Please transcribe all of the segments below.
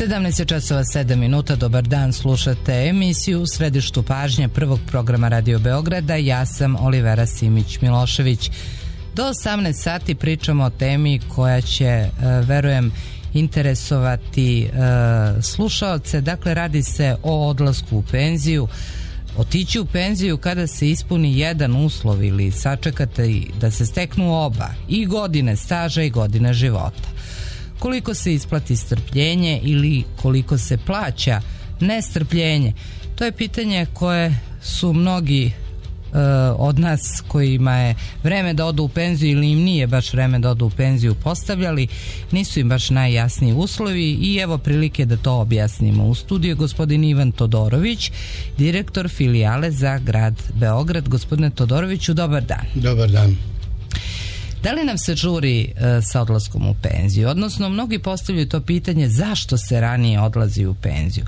17:07. Dobar dan, slušate emisiju u središtu pažnje prvog programa Radio Beograda. Ja sam Olivera Simić-Milošević. Do 18 sati pričamo o temi koja će, verujem, interesovati slušaoce. Dakle, radi se o odlasku u penziju. Otići u penziju kada se ispuni jedan uslov ili sačekate da se steknu oba, i godine staža i godine života. Koliko se isplati strpljenje ili koliko se plaća nestrpljenje? To je pitanje koje su mnogi od nas kojima je vreme da odu u penziju ili im nije baš vreme da odu u penziju postavljali. Nisu im baš najjasniji uslovi i evo prilike da to objasnimo. U studiju je gospodin Ivan Todorović, direktor filijale za grad Beograd. Gospodine Todoroviću, dobar dan. Dobar dan. Da li nam se žuri sa odlaskom u penziju? Odnosno, mnogi postavljaju to pitanje zašto se ranije odlazi u penziju.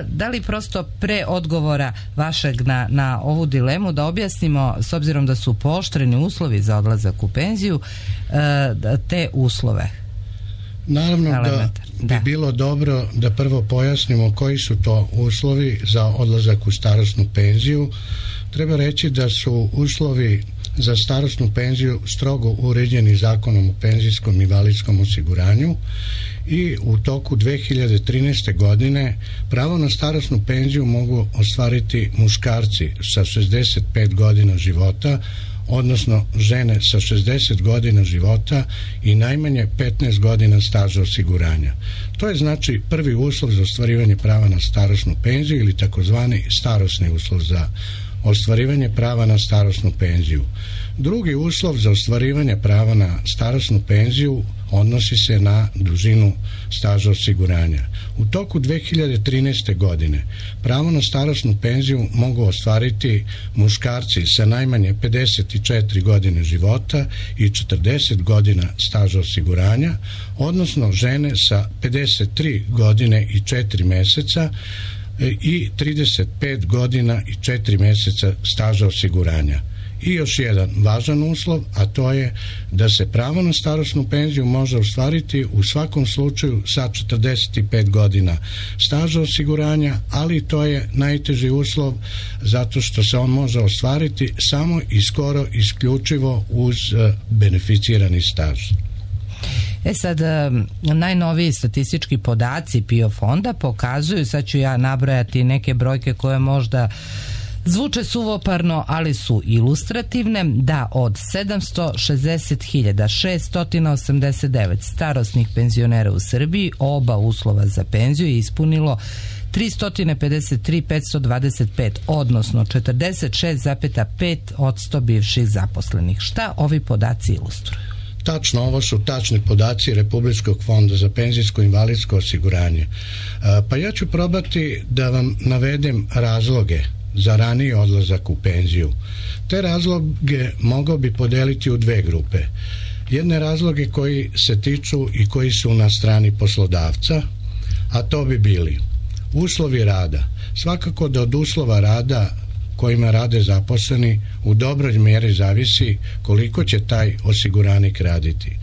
Da li prosto pre odgovora vašeg na ovu dilemu da objasnimo, s obzirom da su pooštreni uslovi za odlazak u penziju, te uslove? Naravno da bi bilo dobro da prvo pojasnimo koji su to uslovi za odlazak u starosnu penziju. Treba reći da su uslovi za starosnu penziju strogo uređeni Zakonom o penzijskom i invalidskom osiguranju i u toku 2013. godine pravo na starosnu penziju mogu ostvariti muškarci sa 65 godina života, odnosno žene sa 60 godina života i najmanje 15 godina staža osiguranja. To je znači prvi uslov za ostvarivanje prava na starosnu penziju ili takozvani starosni uslov za ostvarivanje prava na starosnu penziju. Drugi uslov za ostvarivanje prava na starosnu penziju odnosi se na dužinu staža osiguranja. U toku 2013. godine pravo na starosnu penziju mogu ostvariti muškarci sa najmanje 54 godine života i 40 godina staža osiguranja, odnosno žene sa 53 godine i 4 meseca i 35 godina i 4 meseca staža osiguranja. I još jedan važan uslov, a to je da se pravo na starosnu penziju može ostvariti u svakom slučaju sa 45 godina staža osiguranja, ali to je najteži uslov zato što se on može ostvariti samo i skoro isključivo uz beneficirani staž. Sad, najnoviji statistički podaci PIO fonda pokazuju, sad ću ja nabrojati neke brojke koje možda zvuče suvoparno, ali su ilustrativne, da od 760.689 starosnih penzionera u Srbiji oba uslova za penziju je ispunilo 353.525, odnosno 46,5% bivših zaposlenih. Šta ovi podaci ilustruju? Tačno, ovo su tačni podaci Republičkog fonda za penzijsko i invalidsko osiguranje. Pa ja ću probati da vam navedem razloge za raniji odlazak u penziju. Te razloge mogao bi podeliti u dve grupe. Jedne razloge koji se tiču i koji su na strani poslodavca, a to bi bili uslovi rada. Svakako da od uslova rada kojima rade zaposleni u dobroj mjeri zavisi koliko će taj osiguranik raditi.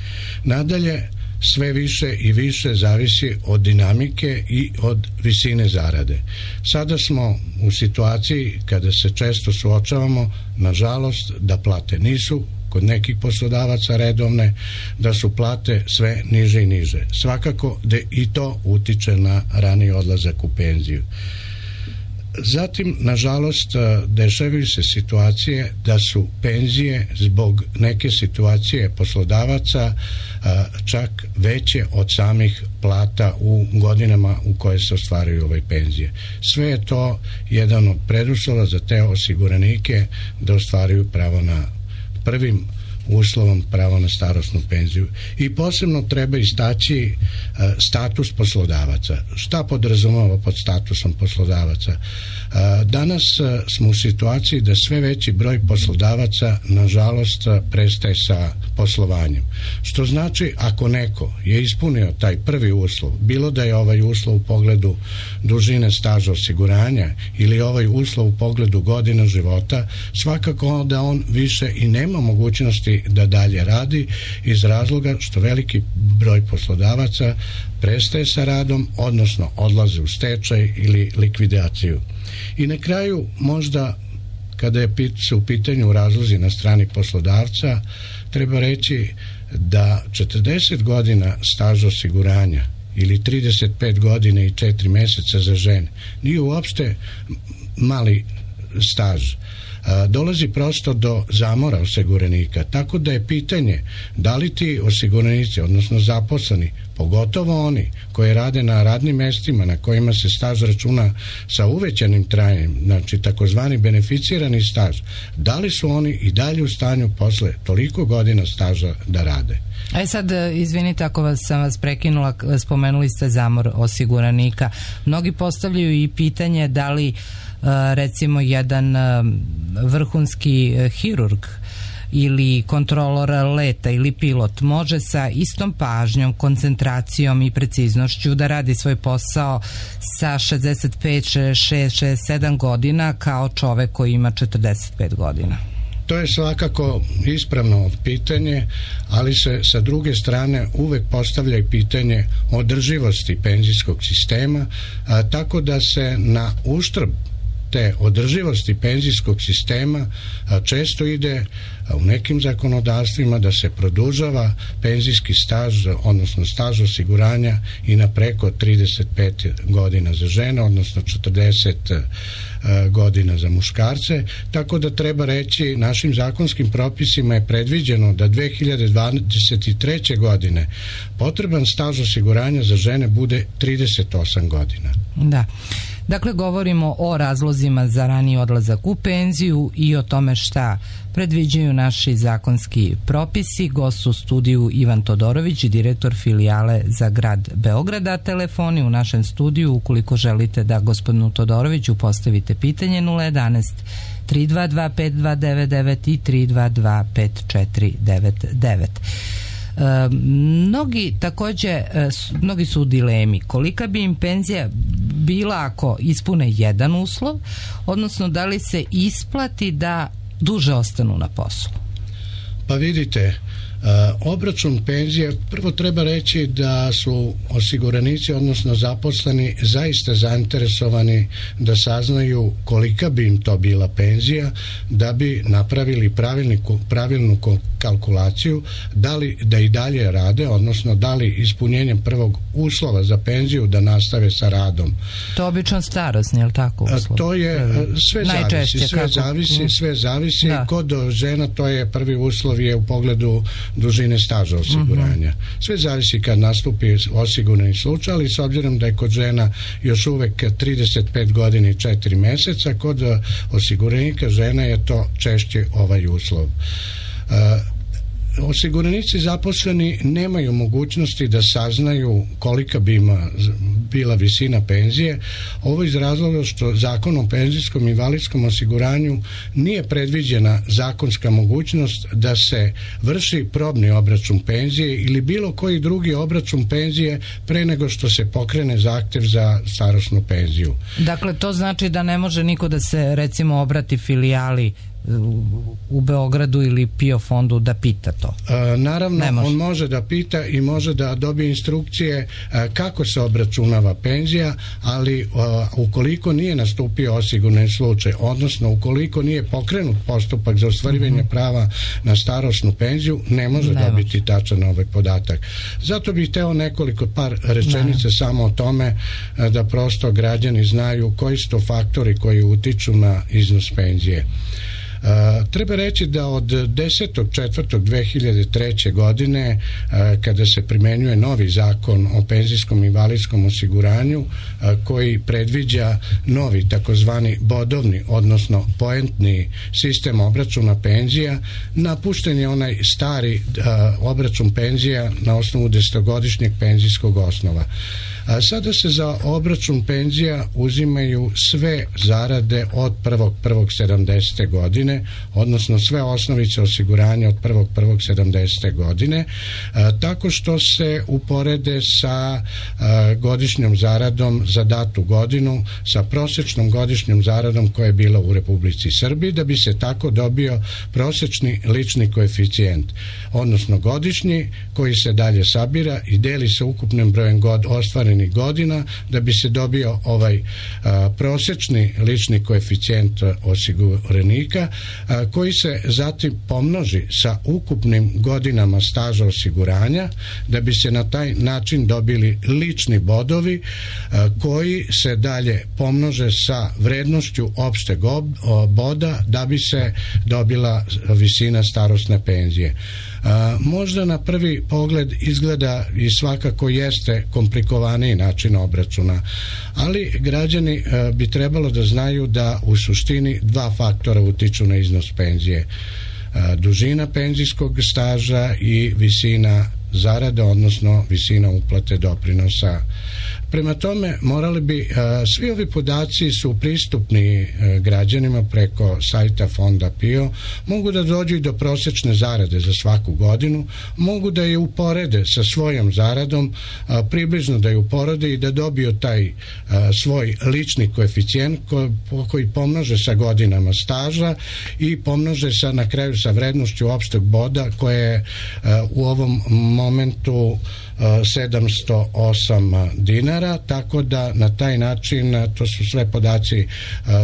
Nadalje, sve više i više zavisi od dinamike i od visine zarade. Sada smo u situaciji kada se često suočavamo, nažalost, da plate nisu kod nekih poslodavaca redovne, da su plate sve niže i niže. Svakako da i to utiče na raniji odlazak u penziju. Zatim, nažalost, dešavaju se situacije da su penzije zbog neke situacije poslodavaca čak veće od samih plata u godinama u koje se ostvaruju ove penzije. Sve je to jedan od preduslova za te osiguranike da ostvaruju pravo na prvim uslovom pravo na starosnu penziju. I posebno treba istaći status poslodavaca. Šta podrazumeva pod statusom poslodavaca? Danas smo u situaciji da sve veći broj poslodavaca nažalost prestaje sa poslovanjem. Što znači ako neko je ispunio taj prvi uslov, bilo da je ovaj uslov u pogledu dužine staža osiguranja ili ovaj uslov u pogledu godina života, svakako da on više i nema mogućnosti li da dalje radi, iz razloga što veliki broj poslodavaca prestaje sa radom, odnosno odlaze u stečaj ili likvidaciju. I na kraju, možda kada je u pitanju razlozi na strani poslodavca, treba reći da 40 godina staža osiguranja ili 35 godina i 4 mjeseca za žene nije uopšte mali staž. Dolazi prosto do zamora osiguranika, tako da je pitanje da li ti osiguranici, odnosno zaposleni, pogotovo oni koji rade na radnim mjestima na kojima se staž računa sa uvećanim trajanjem, znači takozvani beneficirani staž, da li su oni i dalje u stanju posle toliko godina staža da rade. Sad, izvinite ako sam vas prekinula, spomenuli ste zamor osiguranika. Mnogi postavljaju i pitanje da li recimo jedan vrhunski hirurg ili kontrolor leta ili pilot može sa istom pažnjom, koncentracijom i preciznošću da radi svoj posao sa 65, 66, 67 godina kao čovek koji ima 45 godina. To je svakako ispravno pitanje, ali se sa druge strane uvek postavlja i pitanje održivosti penzijskog sistema, tako da se na uštrb te održivosti penzijskog sistema često ide u nekim zakonodavstvima da se produžava penzijski staž, odnosno staž osiguranja i na preko 35 godina za žene, odnosno 40 godina za muškarce, tako da treba reći našim zakonskim propisima je predviđeno da 2023. godine potreban staž osiguranja za žene bude 38 godina. Da. Dakle, govorimo o razlozima za raniji odlazak u penziju i o tome šta predviđaju naši zakonski propisi. Gost u studiju Ivan Todorović, direktor filijale za grad Beograda. Telefoni u našem studiju, ukoliko želite da gospodinu Todoroviću postavite pitanje, 011 322 5299 i 322 5499. Mnogi su u dilemi kolika bi im penzija bila ako ispune jedan uslov, odnosno da li se isplati da duže ostanu na poslu. Pa vidite, obračun penzije, prvo treba reći da su osiguranici, odnosno zaposleni, zaista zainteresovani da saznaju kolika bi im to bila penzija, da bi napravili pravilnu kalkulaciju, da li da i dalje rade, odnosno da li ispunjenjem prvog uslova za penziju da nastave sa radom. To je obično starosni, je li tako uslov? To je, sve zavisi. Da. Kod žena to je prvi uslov je u pogledu dužine staža osiguranja. Sve zavisi kad nastupi osigurani slučaj, ali s obzirom da je kod žena još uvek 35 godina i 4 mjeseca, kod osiguranika žena je to češće ovaj uslov. Osiguranici zaposleni nemaju mogućnosti da saznaju kolika bi ima bila visina penzije. Ovo iz razloga što Zakon o penzijskom i invalidskom osiguranju nije predviđena zakonska mogućnost da se vrši probni obračun penzije ili bilo koji drugi obračun penzije pre nego što se pokrene zahtev za starosnu penziju. Dakle, to znači da ne može niko da se recimo obrati filijali u Beogradu ili PIO fondu da pita to? Naravno, on može da pita i može da dobije instrukcije kako se obračunava penzija, ali ukoliko nije nastupio osigurani slučaj, odnosno ukoliko nije pokrenut postupak za ostvarivanje prava na starosnu penziju, ne može dobiti tačan ovaj podatak. Zato bih hteo nekoliko par rečenica samo o tome da prosto građani znaju koji su to faktori koji utiču na iznos penzije. Treba reći da od 10.4.2003. godine kada se primenjuje novi zakon o penzijskom i invalidskom osiguranju koji predviđa novi takozvani bodovni, odnosno poentni sistem obračuna penzija, napušten je onaj stari obračun penzija na osnovu 10-godišnjeg penzijskog osnova. Sada se za obračun penzija uzimaju sve zarade od 1.1.70. godine, odnosno sve osnovice osiguranja od 1.1.70. godine, tako što se uporede sa godišnjom zaradom za datu godinu, sa prosječnom godišnjom zaradom koja je bila u Republici Srbiji, da bi se tako dobio prosječni lični koeficijent, odnosno godišnji, koji se dalje sabira i deli sa ukupnim brojem ostvarenih godina, da bi se dobio ovaj prosječni lični koeficijent osiguranika, koji se zatim pomnoži sa ukupnim godinama staža osiguranja, da bi se na taj način dobili lični bodovi koji se dalje pomnože sa vrednošću opšteg boda, da bi se dobila visina starosne penzije. Možda na prvi pogled izgleda i svakako jeste komplikovaniji način obračuna, ali građani bi trebalo da znaju da u suštini dva faktora utiču na iznos penzije: dužina penzijskog staža i visina zarade, odnosno visina uplate doprinosa. Prema tome, morali bi, svi ovi podaci su pristupni građanima preko sajta Fonda PIO, mogu da dođu i do prosječne zarade za svaku godinu, mogu da je uporede sa svojom zaradom, približno da je uporede i da dobiju taj svoj lični koeficijent koji pomnože sa godinama staža i pomnože na kraju sa vrednošću opšteg boda koje je u ovom momentu 708 dinara, tako da na taj način, to su sve podaci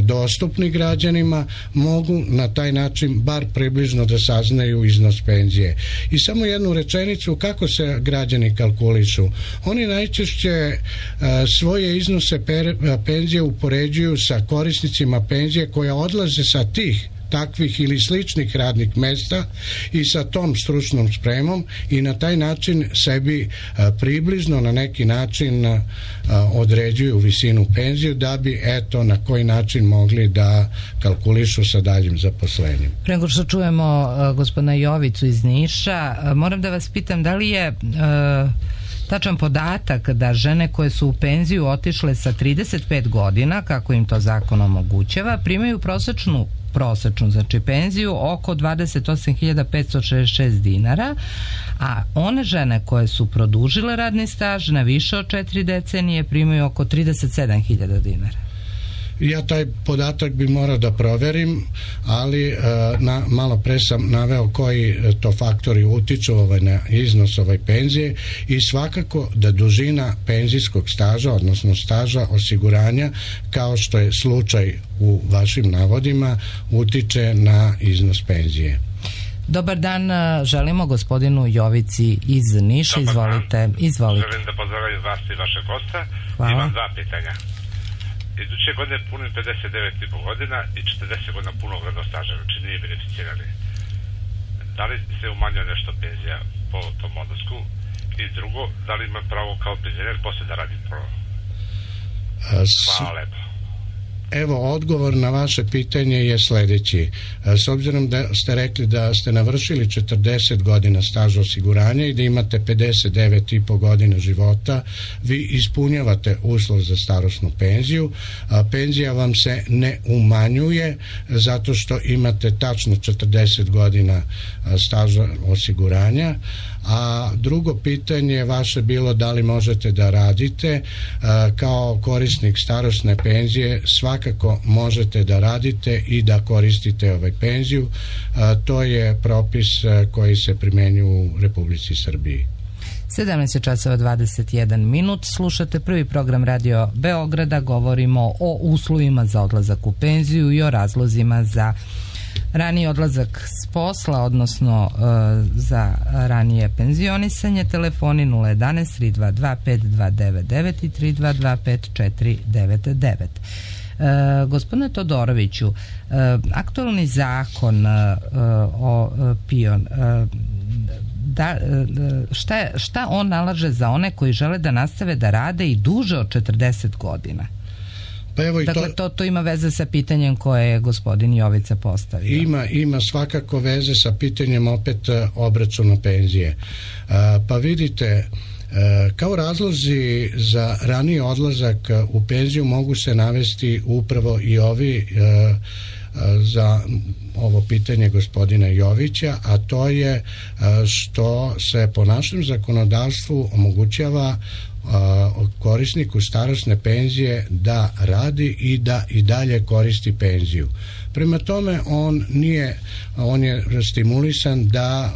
dostupni građanima, mogu na taj način bar približno da saznaju iznos penzije. I samo jednu rečenicu, kako se građani kalkulišu? Oni najčešće svoje iznose penzije upoređuju sa korisnicima penzije koja odlaze sa tih takvih ili sličnih radnih mesta i sa tom stručnom spremom i na taj način sebi približno na neki način određuju visinu penziju, da bi eto na koji način mogli da kalkulišu sa daljim zaposlenjem. Pre nego što čujemo gospodina Jovicu iz Niša, moram da vas pitam da li je tačan podatak da žene koje su u penziju otišle sa 35 godina, kako im to zakon omogućava, primaju prosečnu, znači penziju oko 28.566 dinara, a one žene koje su produžile radni staž na više od 4 decenije primaju oko 37.000 dinara. Ja taj podatak bi morao da proverim, ali malo pre sam naveo koji to faktori utiču na iznos penzije i svakako da dužina penzijskog staža, odnosno staža osiguranja, kao što je slučaj u vašim navodima, utiče na iznos penzije. Dobar dan, želimo gospodinu Jovici iz Niša. Izvolite. Želim da pozdravim vas i vaše gosta. Hvala. Imam dva pitanja. Iduće godine punim 59,5 godina i 40 godina punog radnog staža, znači nije beneficirani. Da li se umanjuje nešto penzija po tom odnosku? I drugo, da li ima pravo kao penzioner posle da radi prvo? Hvala lepo. Evo, odgovor na vaše pitanje je sledeći. S obzirom da ste rekli da ste navršili 40 godina staža osiguranja i da imate 59,5 godina života, vi ispunjavate uslov za starosnu penziju. Penzija vam se ne umanjuje zato što imate tačno 40 godina staža osiguranja. A drugo pitanje vaše bilo da li možete da radite. Kao korisnik starosne penzije svakako možete da radite i da koristite penziju. To je propis koji se primenjuje u Republici Srbiji. 17:21. Slušate prvi program Radio Beograda. Govorimo o uslovima za odlazak u penziju i o razlozima za raniji odlazak s posla, odnosno za ranije penzionisanje. Telefoni 011 322 5299 i 322 5499. Gospodine Todoroviću, aktualni zakon o PIO, šta on nalaže za one koji žele da nastave da rade i duže od 40 godina? Pa evo, dakle, to ima veze sa pitanjem koje je gospodin Jovica postavio. Ima svakako veze sa pitanjem opet obračuna penzije. Pa vidite, Kao razlozi za raniji odlazak u penziju mogu se navesti upravo i ovi za ovo pitanje gospodina Jovića, a to je što se po našem zakonodavstvu omogućava korisniku starosne penzije da radi i da i dalje koristi penziju. Prema tome on je stimulisan da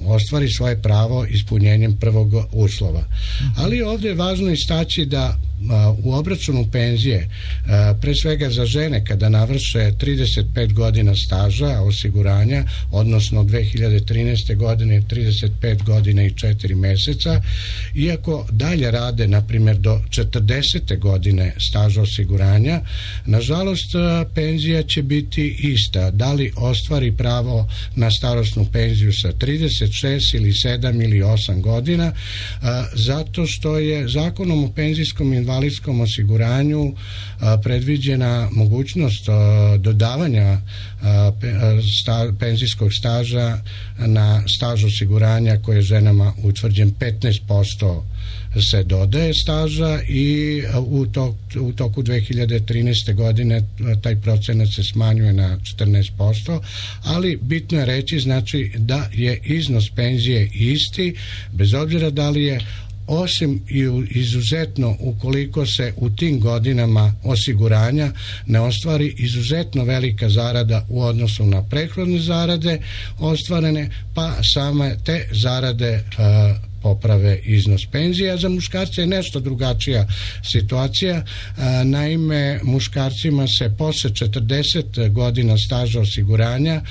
ostvari svoje pravo ispunjenjem prvog uslova. Ali ovdje je važno istaći da u obračunu penzije, pre svega za žene kada navrše 35 godina staža osiguranja, odnosno 2013. godine 35 godina i 4 mjeseca, iako dalje rade na primjer do 40. godine staža osiguranja, nažalost penzija će biti ista. Da li ostvari pravo na starosnu penziju sa 36 ili 7 ili 8 godina, zato što je Zakonom o penzijskom i invalidskom osiguranju predviđena mogućnost dodavanja penzijskog staža na staž osiguranja koje je ženama utvrđen 15% se dodaje staža i u toku 2013. godine taj procenat se smanjuje na 14%, ali bitno je reći znači da je iznos penzije isti bez obzira da li je, osim i izuzetno ukoliko se u tim godinama osiguranja ne ostvari izuzetno velika zarada u odnosu na prethodne zarade ostvarene, pa same te zarade poprave iznos penzija. Za muškarce je nešto drugačija situacija. Naime, muškarcima se posle 40 godina staža osiguranja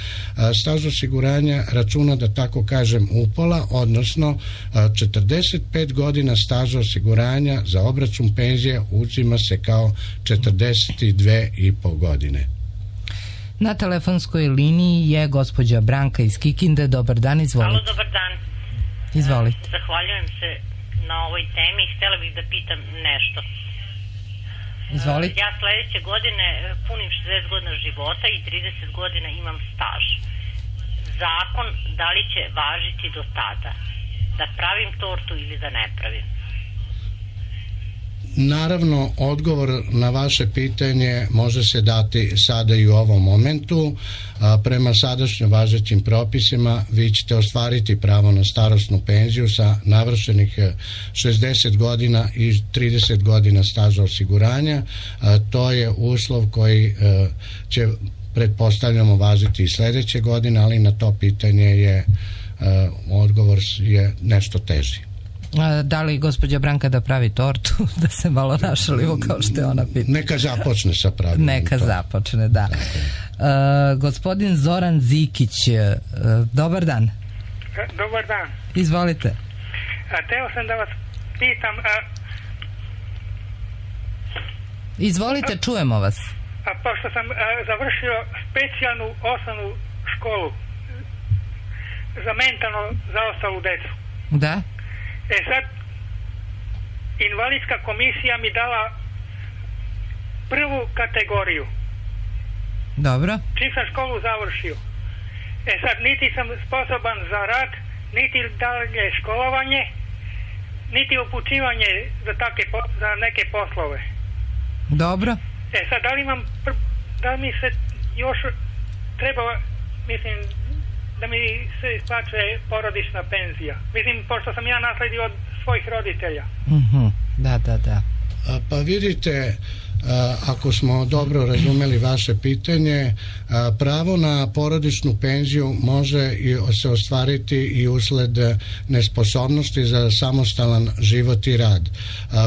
staž osiguranja računa, da tako kažem, upola, odnosno 45 godina staža osiguranja za obračun penzije uzima se kao 42,5 godine. Na telefonskoj liniji je gospođa Branka iz Kikinde. Dobar dan, izvolite. Halo, dobar dan. Izvolite. Zahvaljujem se na ovoj temi. Htjela bih da pitam nešto. Izvolite. Ja sljedeće godine punim 60 godina života i 30 godina imam staž. Zakon da li će važiti do tada? Da pravim tortu ili da ne pravim? Naravno, odgovor na vaše pitanje može se dati sada i u ovom momentu. Prema sadašnjim važećim propisima vi ćete ostvariti pravo na starosnu penziju sa navršenih 60 godina i 30 godina staža osiguranja. To je uslov koji će, pretpostavljamo, važiti i sljedeće godine, ali na to pitanje je odgovor je nešto teži. Da li gospođa Branka da pravi tortu, da se malo našalimo kao što je ona pitala? Neka započne sa pravilom. Neka započne, da. Gospodin Zoran Zikić, dobar dan. Dobar dan. Izvolite. Teo sam da vas pitam... Izvolite, čujemo vas. Pošto sam završio specijalnu osnovnu školu za mentalno zaostalu decu. Da. Sad, invalidska komisija mi dala prvu kategoriju. Dobro. Čim sam školu završio. Sad, niti sam sposoban za rad, niti dalje školovanje, niti upućivanje za neke poslove. Dobro. Sad, da li mi se još treba, mislim, da mi se isplaćuje porodična penzija. Mislim, pošto sam ja nasledio od svojih roditelja. Da. Pa vidite, ako smo dobro razumeli vaše pitanje, pravo na porodičnu penziju može se ostvariti i usled nesposobnosti za samostalan život i rad.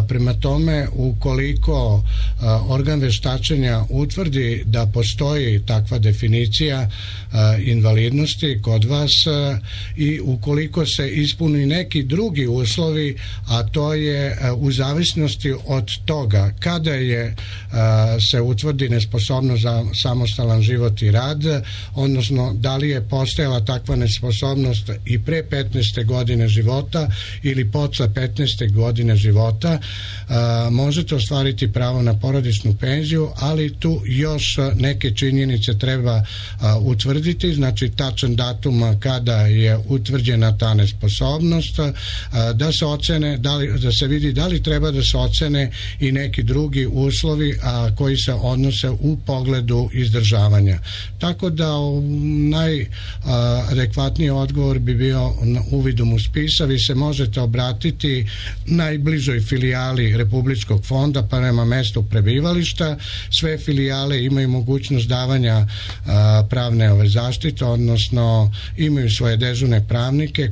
Prema tome, ukoliko organ vještačenja utvrdi da postoji takva definicija invalidnosti kod vas i ukoliko se ispuni neki drugi uslovi, a to je u zavisnosti od od toga kada je se utvrdi nesposobnost za samostalan život i rad, odnosno da li je postojala takva nesposobnost i pre 15. godine života ili posle 15. godine života, možete ostvariti pravo na porodičnu penziju, ali tu još neke činjenice treba utvrditi, znači tačan datum kada je utvrđena ta nesposobnost, da se ocene, da se vidi da li treba da se ocene i neki drugi uslovi koji se odnose u pogledu izdržavanja. Tako da najadekvatniji odgovor bi bio uvidom u spisa. Vi se možete obratiti najbližoj filijali Republičkog fonda prema mestu prebivališta. Sve filijale imaju mogućnost davanja pravne zaštite, odnosno imaju svoje dežurne pravnike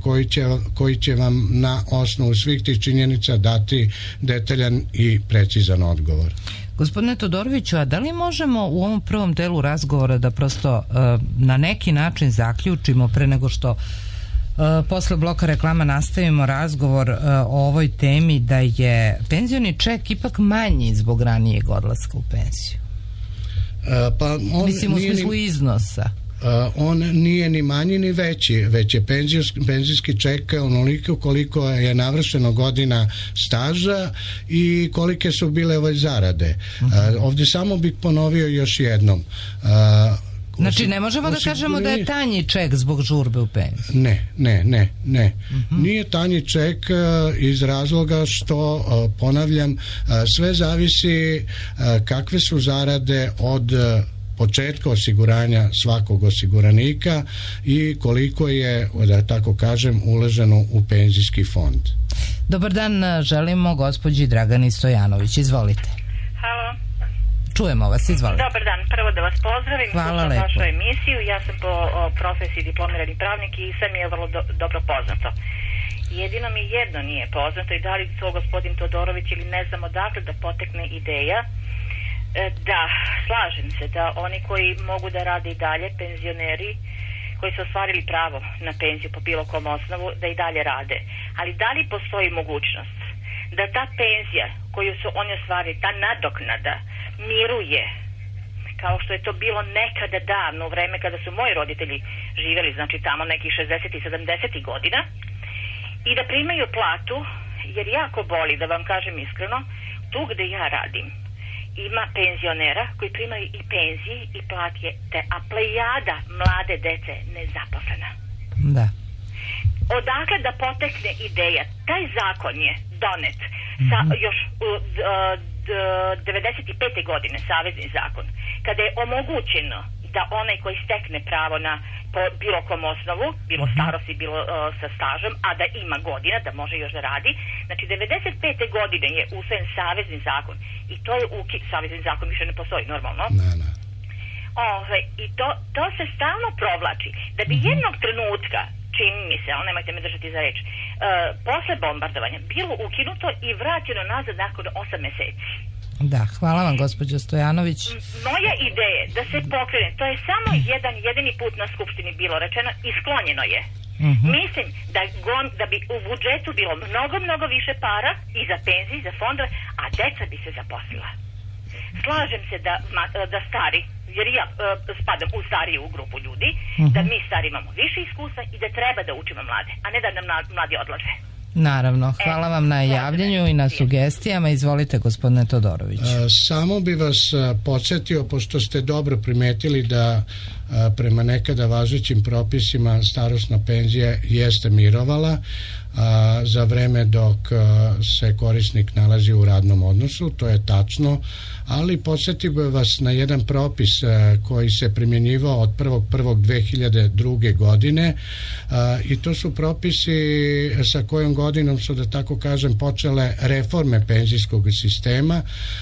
koji će vam na osnovu svih tih činjenica dati detaljan i precizan odgovor. Gospodine Todoroviću, a da li možemo u ovom prvom delu razgovora da prosto na neki način zaključimo pre nego što posle bloka reklama nastavimo razgovor o ovoj temi, da je penzioni ček ipak manji zbog ranijeg odlaska u penziju? Mislim u smislu iznosa. On nije ni manji ni veći, već je penzijski ček onoliko koliko je navršeno godina staža i kolike su bile zarade. Ovdje samo bih ponovio još jednom. Znači ne možemo da kažemo da je tanji ček zbog žurbe u penziju? Ne. Nije tanji ček iz razloga što, ponavljam, sve zavisi kakve su zarade od početka osiguranja svakog osiguranika i koliko je, da tako kažem, uloženo u penzijski fond. Dobar dan, želimo gospođi Dragani Stojanović. Izvolite. Halo. Čujemo vas, izvolite. Dobar dan, prvo da vas pozdravim. Hvala Slušam lepo. vašu emisiju. Ja sam po profesiji diplomirani pravnik i sve mi je vrlo dobro poznato. Jedino mi jedno nije poznato i da li to gospodin Todorović ili ne znam odakle da potekne ideja. Da, slažem se da oni koji mogu da rade i dalje, penzioneri koji su ostvarili pravo na penziju po bilo kom osnovu, da i dalje rade. Ali da li postoji mogućnost da ta penzija koju su oni ostvarili, ta nadoknada, miruje kao što je to bilo nekada davno u vreme kada su moji roditelji živjeli, znači tamo nekih 60 i 70 godina, i da primaju platu, jer jako boli, da vam kažem iskreno, tu gde ja radim ima penzionera koji primaju i penzije i plate, a plejada mlade dece nezaposlena. Da. Odakle da potekne ideja? Taj zakon je donet još 95. godine, savezni zakon, kada je omogućeno da onaj koji stekne pravo na po bilo kom osnovu, bilo starosti, bilo sa stažom, a da ima godina, da može još da radi. Znači, 95. godine je usvojen savezni zakon i to je savezni zakon više ne postoji normalno. Ne. I to se stalno provlači. Da bi jednog trenutka, čini mi se, ali nemojte me držati za reč, posle bombardovanja bilo ukinuto i vraćeno nazad nakon 8 meseci. Da, hvala vam gospođo Stojanović. Moja ideja da se pokrene, to je samo jedini put na Skupštini bilo rečeno i sklonjeno je. Mislim da bi u budžetu bilo mnogo više para i za penzije, i za fondove, a deca bi se zaposlila. Slažem se da stari, jer ja spadam u stariju grupu ljudi, da mi stari imamo više iskustva i da treba da učimo mlade, a ne da nam mladi odlaze. Naravno, hvala vam na javljanju i na sugestijama. Izvolite, gospodine Todorović. Samo bi vas podsjetio, pošto ste dobro primetili da prema nekada važećim propisima starosna penzija jeste mirovala za vreme dok se korisnik nalazi u radnom odnosu, to je tačno, ali podsjetio bih vas na jedan propis koji se primjenjivao od 1.1.2002. godine i to su propisi sa kojom godinom su, da tako kažem, počele reforme penzijskog sistema,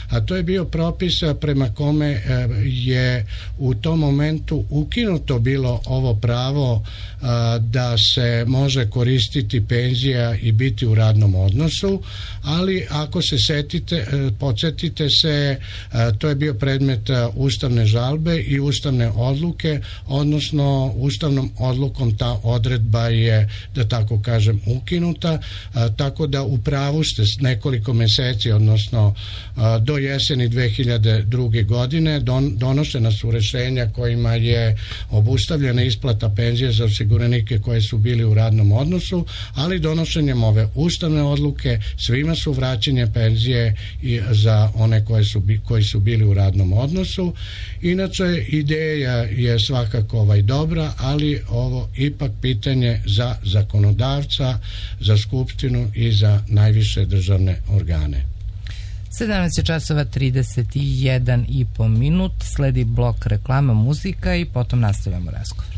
a to je bio propis prema kome je u tom momentu ukinuto bilo ovo pravo da se može koristiti penzija i biti u radnom odnosu, ali ako se podsjetite se, to je bio predmet ustavne žalbe i ustavne odluke, odnosno ustavnom odlukom ta odredba je, da tako kažem, ukinuta, tako da u pravu ste s nekoliko meseci, odnosno do jeseni 2002. godine donošena su rješenja kojima je obustavljena isplata penzije za osiguranike koji su bili u radnom odnosu, ali donošenjem ove ustavne odluke svima su vraćene penzije i za one koji su bili u radnom odnosu. Inače, ideja je svakako dobra, ali ovo ipak pitanje za zakonodavca, za skupštinu i za najviše državne organe. 17:31 sledi blok reklama, muzika i potom nastavljamo razgovor.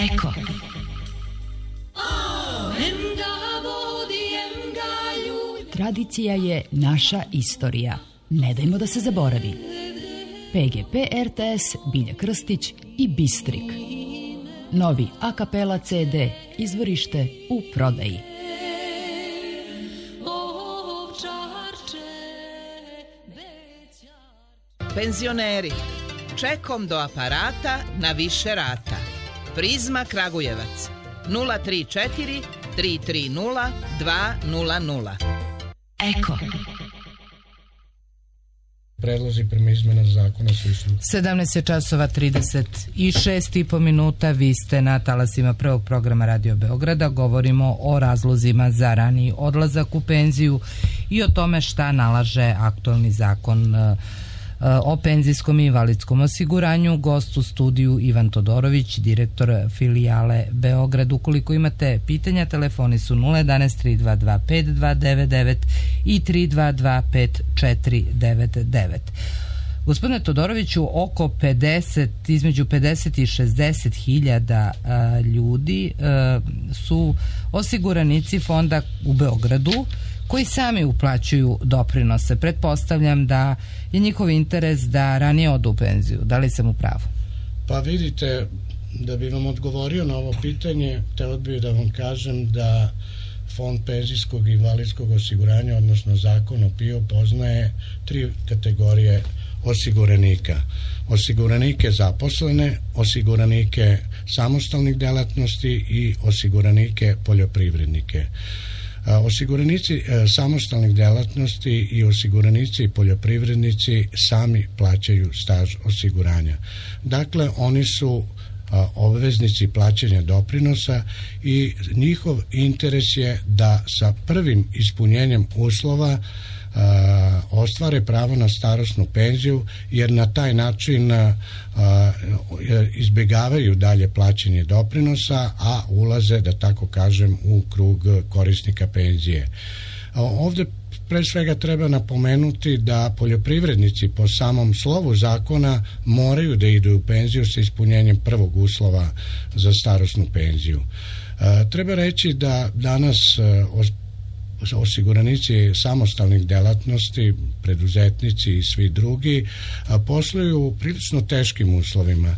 Eko. Tradicija je naša istorija. Ne dajmo da se zaboravi. PGP RTS, Bilja Krstić i Bistrik. Novi a kapela CD, izvorište u prodaji. Penzioneri, čekom do aparata na više rata. Prizma Kragujevac 034 330 200. Eko. Predlozi prema izmena zakona su išli. 17 časova 36,5 minuta. Vi ste na talasima prvog programa Radio Beograda. Govorimo o razlozima za raniji odlazak u penziju i o tome šta nalaže aktualni zakon o penzijskom i invalidskom osiguranju. Gost u studiju Ivan Todorović, direktor filijale Beograd. Ukoliko imate pitanja, telefoni su 011 322 5299 i 322 5499. Gospodine Todoroviću, između 50 i 60 hiljada ljudi su osiguranici fonda u Beogradu koji sami uplaćuju doprinose. Pretpostavljam da je njihov interes da ranije odu u penziju. Da li sam u pravu? Pa vidite, da bi vam odgovorio na ovo pitanje, hteo bih da vam kažem da Fond penzijskog i invalidskog osiguranja, odnosno zakon o PIO, poznaje 3 kategorije osiguranika. Osiguranike zaposlene, osiguranike samostalnih delatnosti i osiguranike poljoprivrednike. Osiguranici samostalnih delatnosti i osiguranici i poljoprivrednici sami plaćaju staž osiguranja. Dakle, oni su obveznici plaćanja doprinosa i njihov interes je da sa prvim ispunjenjem uslova ostvare pravo na starosnu penziju, jer na taj način izbjegavaju dalje plaćanje doprinosa, a ulaze, da tako kažem, u krug korisnika penzije. Ovdje pre svega treba napomenuti da poljoprivrednici po samom slovu zakona moraju da idu u penziju sa ispunjenjem prvog uslova za starosnu penziju. Treba reći da danas osiguranici samostalnih delatnosti, preduzetnici i svi drugi posluju u prilično teškim uslovima,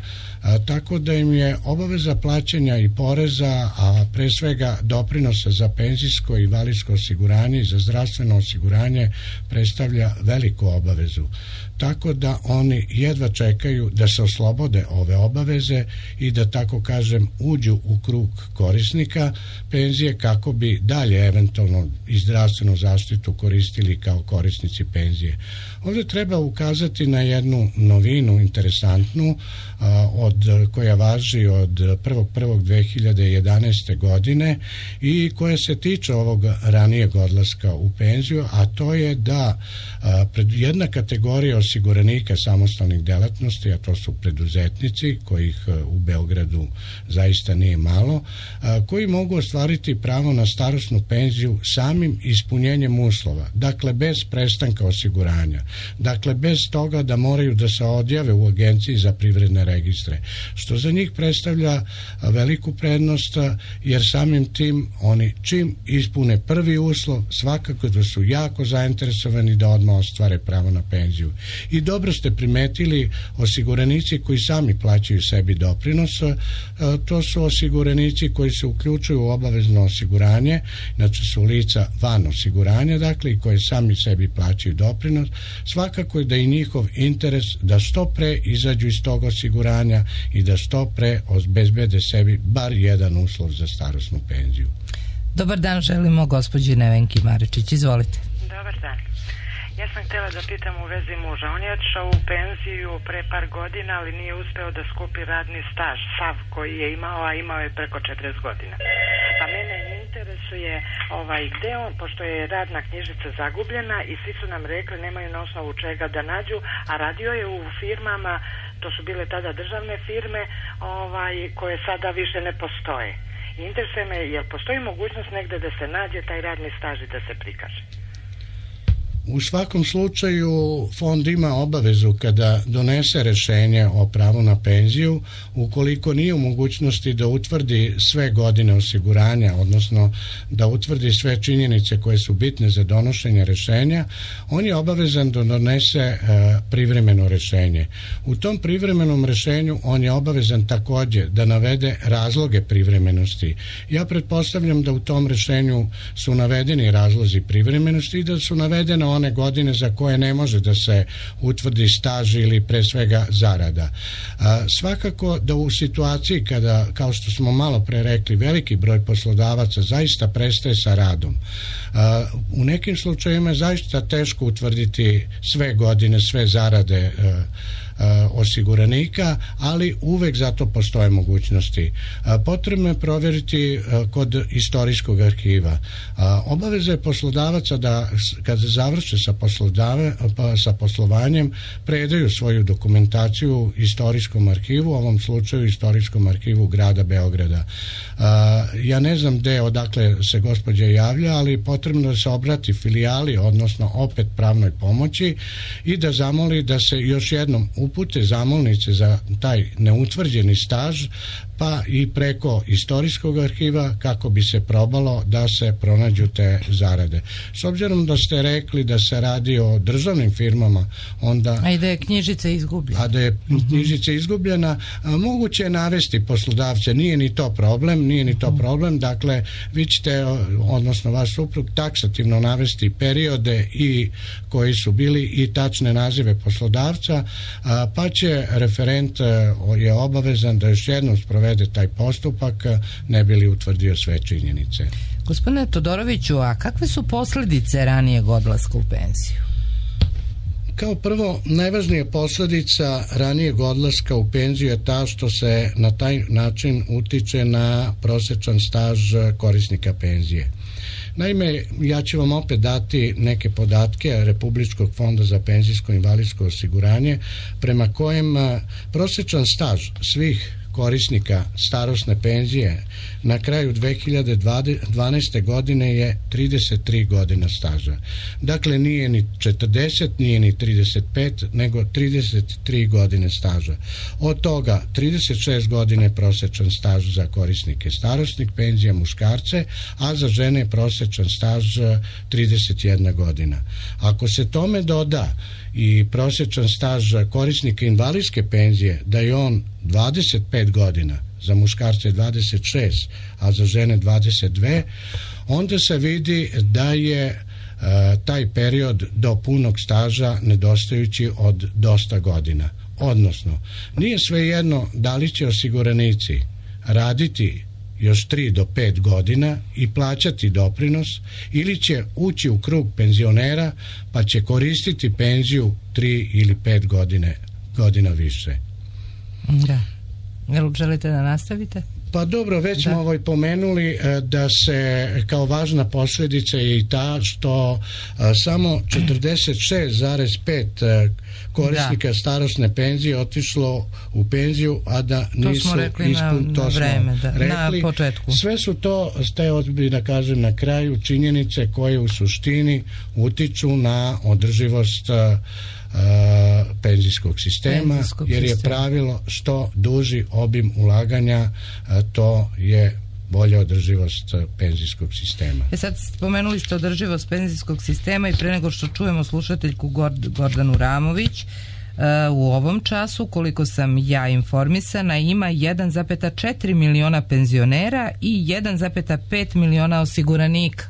tako da im je obaveza plaćanja i poreza, a pre svega doprinosa za penzijsko i invalidsko osiguranje i za zdravstveno osiguranje predstavlja veliku obavezu. Tako da oni jedva čekaju da se oslobode ove obaveze i da, tako kažem, uđu u krug korisnika penzije kako bi dalje eventualno i zdravstvenu zaštitu koristili kao korisnici penzije. Ovdje treba ukazati na jednu novinu interesantnu koja važi od 1.1.2011. godine i koja se tiče ovog ranijeg odlaska u penziju, a to je da jedna kategorija osiguranika samostalnih delatnosti, a to su preduzetnici, kojih u Beogradu zaista nije malo, koji mogu ostvariti pravo na starosnu penziju samim ispunjenjem uslova, dakle bez prestanka osiguranja, dakle bez toga da moraju da se odjave u Agenciji za privredne registre, što za njih predstavlja veliku prednost, jer samim tim oni čim ispune prvi uslov svakako da su jako zainteresovani da odmah ostvare pravo na penziju. I dobro ste primetili, osiguranici koji sami plaćaju sebi doprinos, to su osiguranici koji se uključuju u obavezno osiguranje, znači su lica van osiguranja, dakle, i koji sami sebi plaćaju doprinos. Svakako je da i njihov interes da što pre izađu iz tog osiguranja i da što pre obezbede sebi bar jedan uslov za starosnu penziju. Dobar dan, želimo gospođi Nevenki Maričić, izvolite. Dobar dan. Ja sam htjela da pitam u vezi muža. On je odšao u penziju pre par godina, ali nije uspeo da skupi radni staž, sav koji je imao, a imao je preko 40 godina. Pa mene interesuje gde on, pošto je radna knjižica zagubljena i svi su nam rekli nemaju na osnovu čega da nađu, a radio je u firmama, to su bile tada državne firme, koje sada više ne postoje. Interesuje me, jel postoji mogućnost negde da se nađe taj radni staž i da se prikaže? U svakom slučaju fond ima obavezu kada donese rješenje o pravu na penziju, ukoliko nije u mogućnosti da utvrdi sve godine osiguranja, odnosno da utvrdi sve činjenice koje su bitne za donošenje rješenja, on je obavezan da donese privremeno rješenje. U tom privremenom rješenju on je obavezan također da navede razloge privremenosti. Ja pretpostavljam da u tom rješenju su navedeni razlozi privremenosti i da su navedene one godine za koje ne može da se utvrdi staž ili pre svega zarada. Svakako da u situaciji kada, kao što smo malo pre rekli, veliki broj poslodavaca zaista prestaje sa radom, u nekim slučajevima je zaista teško utvrditi sve godine, sve zarade osiguranika, ali uvek zato postoje mogućnosti. Potrebno je provjeriti kod istorijskog arhiva. Obaveza je poslodavaca da kad završe sa poslovanjem predaju svoju dokumentaciju istorijskom arhivu, u ovom slučaju istorijskom arhivu grada Beograda. Ja ne znam odakle se gospođa javlja, ali potrebno da se obrati filijali, odnosno opet pravnoj pomoći, i da zamoli da se još jednom upute zamolnice za taj neutvrđeni staž, pa i preko istorijskog arhiva kako bi se probalo da se pronađu te zarade. S obzirom da ste rekli da se radi o državnim firmama, onda... A i da je knjižica izgubljena. A da je knjižica izgubljena, moguće je navesti poslodavce, nije ni to problem, dakle vi ćete, odnosno vaš suprug, taksativno navesti periode i koji su bili i tačne nazive poslodavca, pa će referent je obavezan da još jednom sprovede taj postupak, ne bi li utvrdio sve činjenice. Gospodine Todoroviću, a kakve su posljedice ranijeg odlaska u penziju? Kao prvo, najvažnija posljedica ranijeg odlaska u penziju je ta što se na taj način utiče na prosječan staž korisnika penzije. Naime, ja ću vam opet dati neke podatke Republičkog fonda za penzijsko i invalidsko osiguranje, prema kojem prosječan staž svih korisnika starosne penzije na kraju 2012. godine je 33 godina staža. Dakle, nije ni 40, nije ni 35, nego 33 godine staža. Od toga 36 godine prosječan staž za korisnike starosnih penzija, muškarce, a za žene je prosječan staž 31 godina. Ako se tome doda i prosječan staž korisnika invalidske penzije, da je on 25 godina, za muškarce 26, a za žene 22, onda se vidi da je taj period do punog staža nedostajući od dosta godina. Odnosno, nije svejedno da li će osiguranici raditi još 3 do 5 godina i plaćati doprinos, ili će ući u krug penzionera pa će koristiti penziju 3 ili 5 godina više. Da. Jel želite da nastavite? Pa dobro, već smo pomenuli da se kao važna posljedica je i ta što samo 46,5 korisnika starosne penzije otišlo u penziju, a da nisu na početku. Sve su to, da kažem na kraju, činjenice koje u suštini utiču na održivost penzijskog sistema, jer je pravilo što duži obim ulaganja, to je bolja održivost penzijskog sistema. Sad spomenuli ste održivost penzijskog sistema i pre nego što čujemo slušateljku Gordanu Ramović, u ovom času, koliko sam ja informisana, ima 1,4 miliona penzionera i 1,5 miliona osiguranika.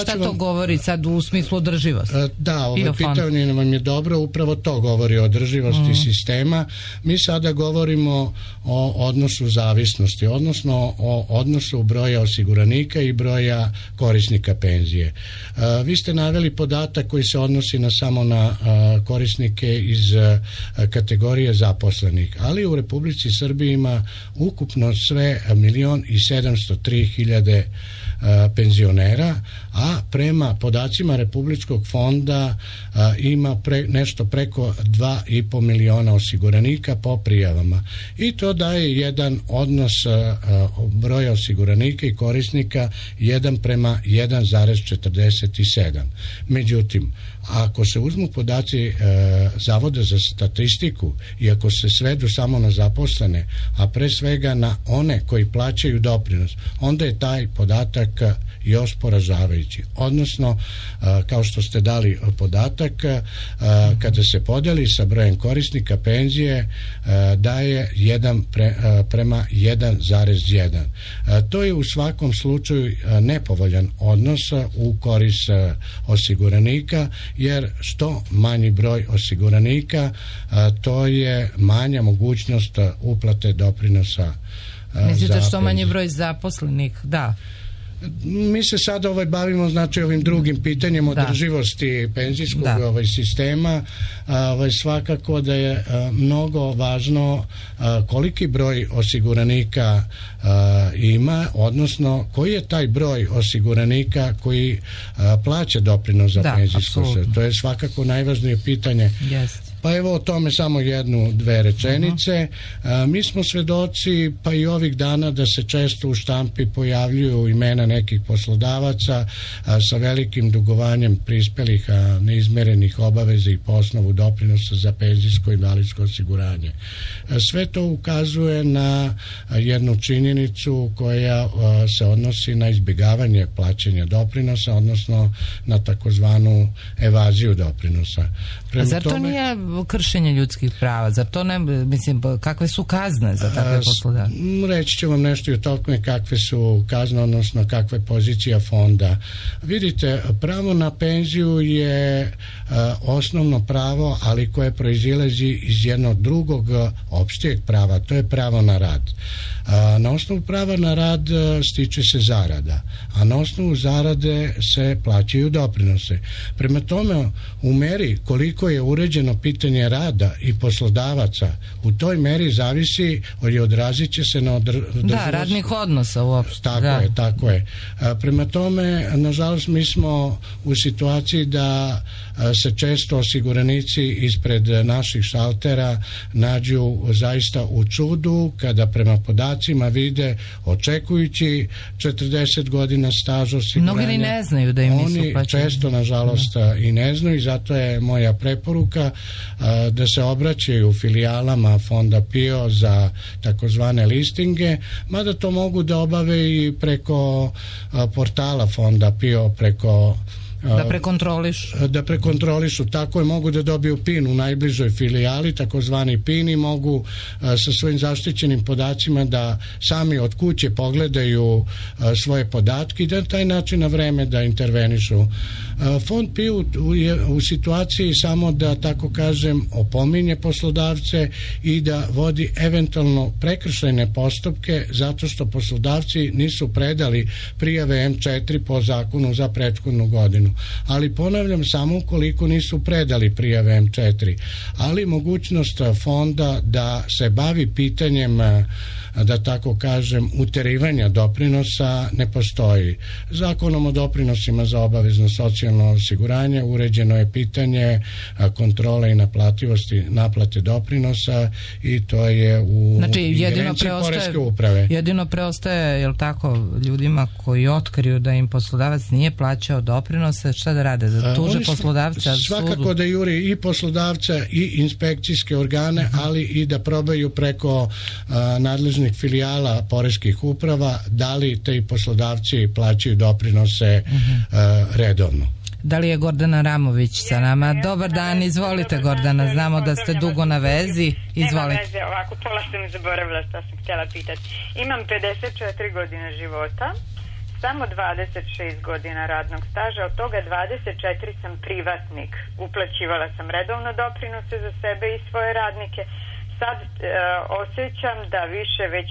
Šta to govori sad u smislu održivosti? Da, ovo pitanje vam je dobro, upravo to govori o održivosti sistema. Mi sada govorimo o odnosu zavisnosti, odnosno o odnosu broja osiguranika i broja korisnika penzije. Vi ste naveli podatak koji se odnosi samo na korisnike iz kategorije zaposlenih, ali u Republici Srbiji ima ukupno sve 1.703.000 penzionera, a prema podacima Republičkog fonda ima nešto preko 2,5 miliona osiguranika po prijavama. I to daje jedan odnos broja osiguranika i korisnika 1:1,47. Međutim, ako se uzmu podaci Zavoda za statistiku i ako se svedu samo na zaposlene, a pre svega na one koji plaćaju doprinos, onda je taj podatak još poražavajući. Odnosno, kao što ste dali podatak, kada se podeli sa brojem korisnika penzije, daje 1:1,1. To je u svakom slučaju nepovoljan odnos u korist osiguranika, jer što manji broj osiguranika, to je manja mogućnost uplate doprinosa. Mislite što manji broj zaposlenih? Da. Mi se sada bavimo znači ovim drugim pitanjem održivosti penzijskog sistema. Svakako da je mnogo važno koliki broj osiguranika ima, odnosno koji je taj broj osiguranika koji plaća doprinos za penzijsko. To je svakako najvažnije pitanje. Pa evo o tome samo dve rečenice. Mi smo svedoci pa i ovih dana da se često u štampi pojavljuju imena nekih poslodavaca sa velikim dugovanjem prispelih neizmerenih obaveza i po osnovu doprinosa za penzijsko i invalidsko osiguranje. Sve to ukazuje na jednu činjenicu koja se odnosi na izbjegavanje plaćanja doprinosa, odnosno na takozvanu evaziju doprinosa. Zar to nije kršenje ljudskih prava? Zar to ne, mislim, kakve su kazne za takve poslodavce? Reći ću vam nešto i o tome kakve su kazne, odnosno kakva je pozicija fonda. Vidite, pravo na penziju je osnovno pravo, ali koje proizilazi iz jednog drugog opštijeg prava, to je pravo na rad. Na osnovu prava na rad stiče se zarada, a na osnovu zarade se plaćaju doprinose. Prema tome, u meri koliko je uređeno pitanje rada i poslodavaca, u toj meri zavisi i odrazit će se na održivost radnih odnosa uopšte. Tako je. Prema tome, nažalost, mi smo u situaciji da se često osiguranici ispred naših šaltera nađu zaista u čudu kada prema podacima vide, očekujući 40 godina staža osiguranja. Mnogi ni ne znaju da im nisu plaćeni. Oni često, nažalost, i ne znaju, i zato je moja preporuka da se obraćaju filijalama Fonda PIO za takozvane listinge, mada to mogu da obave i preko portala Fonda PIO, preko da prekontrolišu, tako je, mogu da dobiju PIN u najbližoj filijali, takozvani PIN, i mogu sa svojim zaštićenim podacima da sami od kuće pogledaju svoje podatke i da na taj način na vreme da intervenišu. Fond PIO je u situaciji samo da, tako kažem, opominje poslodavce i da vodi eventualno prekršajne postupke zato što poslodavci nisu predali prijave M4 po zakonu za prethodnu godinu. Ali ponavljam, samo ukoliko nisu predali prijave M4, ali mogućnost fonda da se bavi pitanjem, da tako kažem, uterivanja doprinosa ne postoji. Zakonom o doprinosima za obavezno socijalno osiguranje uređeno je pitanje kontrole i naplativosti naplate doprinosa i to je u ingerenciji Poreske uprave. Jedino preostaje, jel tako, ljudima koji otkriju da im poslodavac nije plaćao doprinose, šta da rade? Da tuže poslodavca? Svakako da juri i poslodavca i inspekcijske organe, ali i da probaju preko nadležnih filijala poreskih uprava da li te poslodavci plaćaju doprinose redovno. Da li je Gordana Ramović sa nama? Dobar dan, izvolite Gordana, znamo da ste dugo na vezi, izvolite. Nema veze, ovako pola sam zaboravila što sam htjela pitati. Imam 54 godine života, samo 26 godina radnog staža, od toga 24 sam privatnik. Uplaćivala sam redovno doprinose za sebe i svoje radnike. Sad osjećam da više već,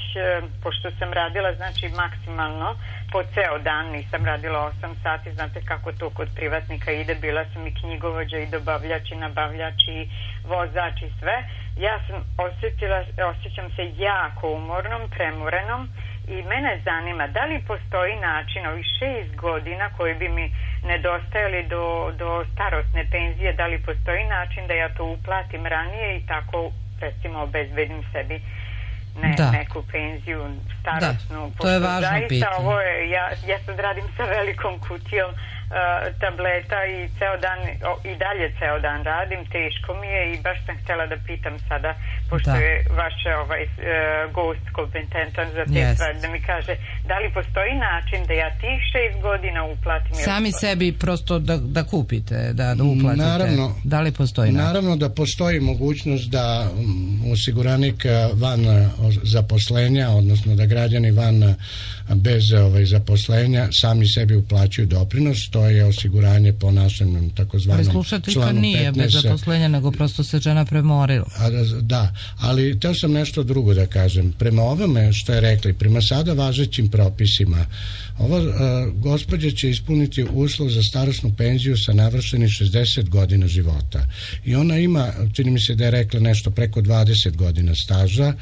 pošto sam radila znači maksimalno po ceo dan, nisam radila 8 sati, znate kako to kod privatnika ide, bila sam i knjigovođa i dobavljač i nabavljač i vozač i sve. Ja sam osjećam se jako umornom, premorenom I mene zanima da li postoji način ovih 6 godina koji bi mi nedostajali do starosne penzije, da li postoji način da ja to uplatim ranije i tako recimo obezbedim sebi neku penziju starosnu. Da, to je važno pitanje. Ovo je, ja sad radim sa velikom kutijom tableta i i dalje ceo dan radim, teško mi je i baš sam htjela da pitam sada, pošto je vaš gost kompetentan za te stvari, da mi kaže da li postoji način da ja tih 6 godina uplatim. Sami sebi prosto da kupite, da uplatite. Naravno, da li postoji način? Naravno da postoji mogućnost da osiguranik van zaposlenja, odnosno da građani van bez zaposlenja sami sebi uplaćuju doprinos. To je osiguranje po našem takozvanom članu 15. Slušateljka nije bez zaposlenja, nego prosto se žena premorila. Da, ali teo sam nešto drugo da kažem. Prema ovome što je rekli, prema sada važećim propisima, ova gospođa će ispuniti uslov za starosnu penziju sa navršenih 60 godina života. I ona ima, čini mi se da je rekla nešto preko 20 godina staža,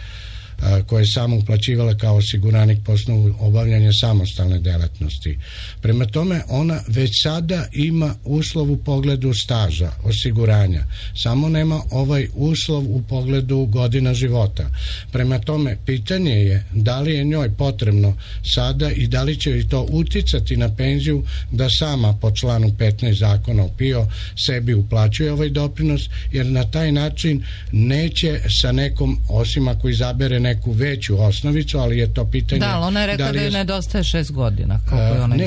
koje je samo uplaćivala kao osiguranik po osnovu obavljanja samostalne delatnosti. Prema tome, ona već sada ima uslov u pogledu staža osiguranja, samo nema ovaj uslov u pogledu godina života. Prema tome, pitanje je da li je njoj potrebno sada i da li će joj to uticati na penziju da sama po članu 15 zakona o PIO sebi uplaćuje ovaj doprinos, jer na taj način neće sa nekom, osim ako izabere neku veću osnovicu, ali je to pitanje... Da, ona je rekla da joj nedostaje 6 godina.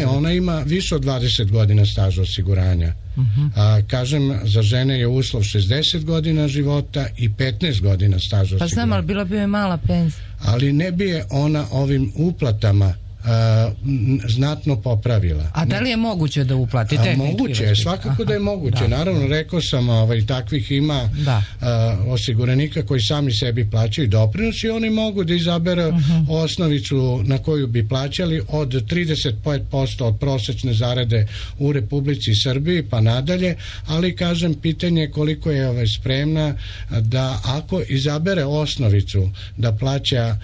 Ona ima više od 20 godina staža osiguranja. Kažem, za žene je uslov 60 godina života i 15 godina staža osiguranja. Pa znam, ali bila bi joj mala penzija. Ali ne bi je ona ovim uplatama znatno popravila. A da li je moguće da uplati? Moguće je, svakako da je moguće. Naravno, rekao sam, takvih ima osiguranika koji sami sebi plaćaju doprinos i oni mogu da izabere osnovicu na koju bi plaćali od 35% od prosečne zarade u Republici Srbiji pa nadalje, ali kažem, pitanje je koliko je spremna da ako izabere osnovicu da plaća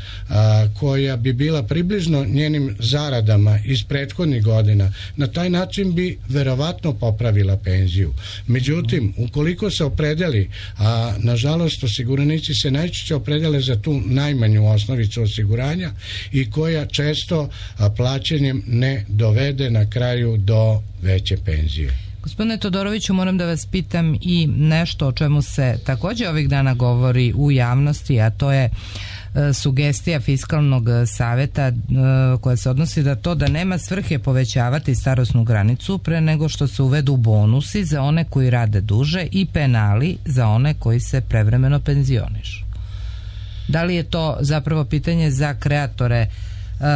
koja bi bila približno njenim zaradama iz prethodnih godina, na taj način bi verovatno popravila penziju. Međutim, ukoliko se opredeli, a nažalost osiguranici se najčešće opredele za tu najmanju osnovicu osiguranja i koja često plaćanjem ne dovede na kraju do veće penzije. Gospodine Todoroviću, moram da vas pitam i nešto o čemu se također ovih dana govori u javnosti, a to je sugestija Fiskalnog saveta koja se odnosi da to da nema svrhe povećavati starosnu granicu pre nego što se uvedu bonusi za one koji rade duže i penali za one koji se prevremeno penzionišu. Da li je to zapravo pitanje za kreatore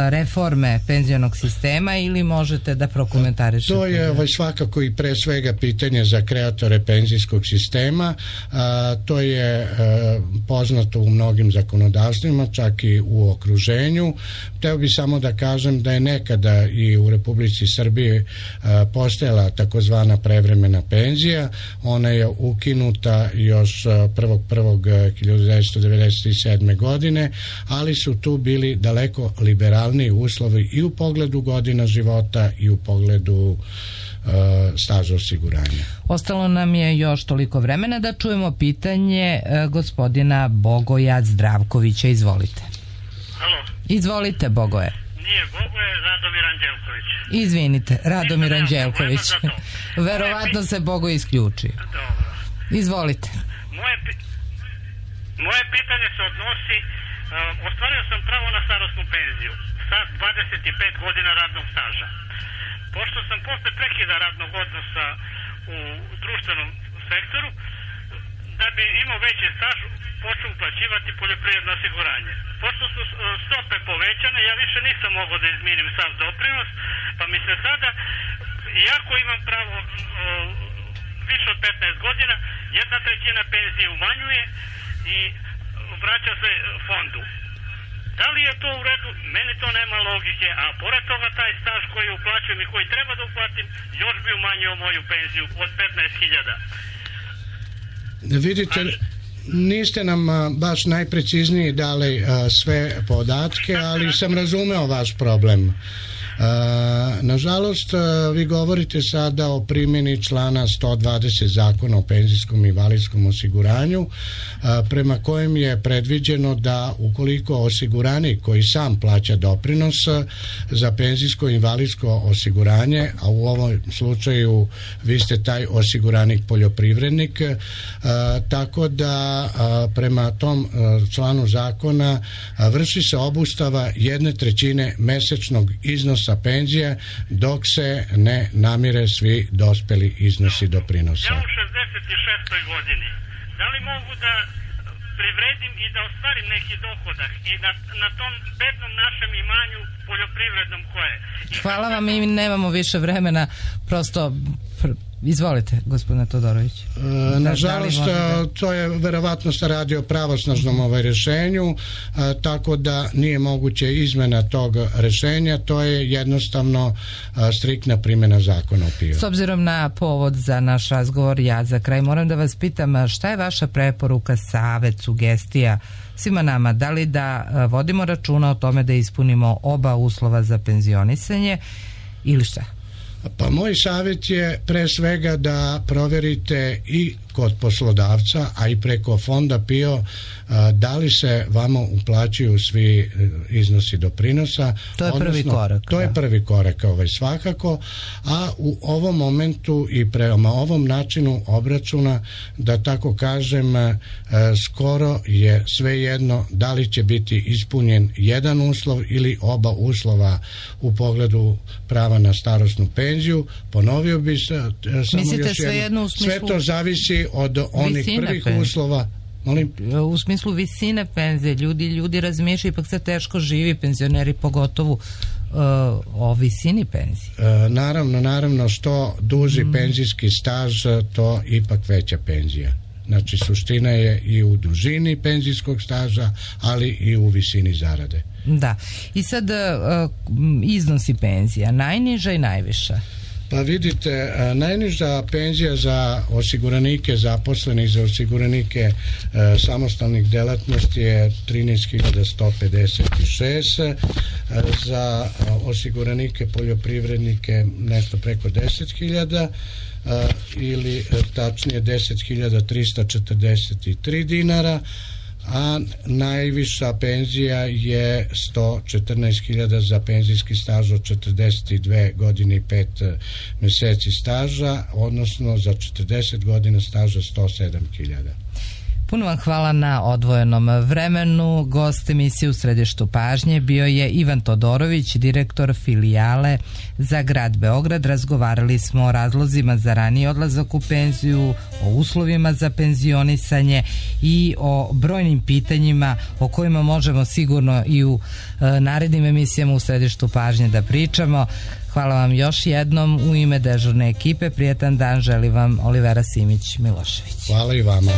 reforme penzionog sistema ili možete da prokomentarišete? To je svakako i pre svega pitanje za kreatore penzijskog sistema. To je poznato u mnogim zakonodavstvima, čak i u okruženju. Hteo bi samo da kažem da je nekada i u Republici Srbiji postojala takozvana prevremena penzija. Ona je ukinuta još 1.1.1997. godine, ali su tu bili daleko liberalniji uslovi i u pogledu godina života i u pogledu staža osiguranja. Ostalo nam je još toliko vremena da čujemo pitanje gospodina Bogoja Zdravkovića. Izvolite. Halo. Izvolite, Bogoje. Nije Bogoje, Radomir Anđelković. Izvinite, Radomir Anđelković. Verovatno se Bogoj isključio. Dobro. Izvolite. Moje pitanje se odnosi, ostvario sam pravo na starosnu penziju sa 25 godina radnog staža. Pošto sam posle prekida radnog odnosa u društvenom sektoru, da bi imao veći staž, počeo uplaćivati poljoprivredno osiguranje. Pošto su stope povećane, ja više nisam mogao da izmirim sav doprinos, pa mi se sada, iako imam pravo više od 15 godina, 1/3 penzije umanjuje i vraća se fondu. Da li je to u redu? Meni to nema logike, a pored toga taj staž koji uplaćujem i koji treba da uplatim, još bi umanjio moju penziju od 15.000. Niste nam baš najprecizniji dali sve podatke, ali sam razumeo vaš problem. Nažalost, vi govorite sada o primjeni člana 120 Zakona o penzijskom i invalidskom osiguranju, prema kojem je predviđeno da ukoliko osiguranik koji sam plaća doprinos za penzijsko i invalidsko osiguranje, a u ovom slučaju vi ste taj osiguranik poljoprivrednik, tako da prema tom članu zakona vrši se obustava 1/3 mesečnog iznosa penzije dok se ne namire svi dospeli iznosi doprinosa. Ja u 66. godini, da li mogu da privredim i da ostvarim neki dohodak i na tom bednom našem imanju poljoprivrednom koje? Hvala vam, mi nemamo više vremena, prosto izvolite, gospodine Todorović. Nažalost, to je verovatno se radi o pravosnažnom rješenju, tako da nije moguće izmena tog rješenja, to je jednostavno striktna primjena zakona o PIO. S obzirom na povod za naš razgovor, ja za kraj moram da vas pitam šta je vaša preporuka, savet, sugestija svima nama, da li da vodimo računa o tome da ispunimo oba uslova za penzionisanje ili šta? Pa moj savjet je pre svega da provjerite i kod poslodavca, a i preko fonda PIO, da li se vama uplaćuju svi iznosi doprinosa. To je prvi korak. To je prvi korak, svakako, a u ovom momentu i prema ovom načinu obračuna, da tako kažem, skoro je svejedno da li će biti ispunjen jedan uslov ili oba uslova u pogledu prava na starosnu penziju. Ponovio bi se samo još jedno, sve to zavisi od onih prvih uslova. Molim? U smislu visine penzije, ljudi razmišljaju, ipak se teško živi, penzioneri pogotovo, o visini penzije. Naravno, što duži penzijski staž, to ipak veća penzija. Znači, suština je i u dužini penzijskog staža, ali i u visini zarade. Da. I sad iznosi penzija, najniža i najviša. Pa vidite, najniža penzija za osiguranike zaposlenih, za osiguranike samostalnih delatnosti je 13.156, za osiguranike poljoprivrednike nešto preko 10.000 ili tačnije 10.343 dinara, a najviša penzija je 114.000 za penzijski staž od 42 godine i 5 mjeseci staža, odnosno za 40 godina staža 107.000. Puno vam hvala na odvojenom vremenu. Gost emisije U središtu pažnje bio je Ivan Todorović, direktor filijale za grad Beograd. Razgovarali smo o razlozima za raniji odlazak u penziju, o uslovima za penzionisanje i o brojnim pitanjima o kojima možemo sigurno i u narednim emisijama U središtu pažnje da pričamo. Hvala vam još jednom u ime dežurne ekipe. Prijetan dan želi vam Olivera Simić Milošević. Hvala i vama.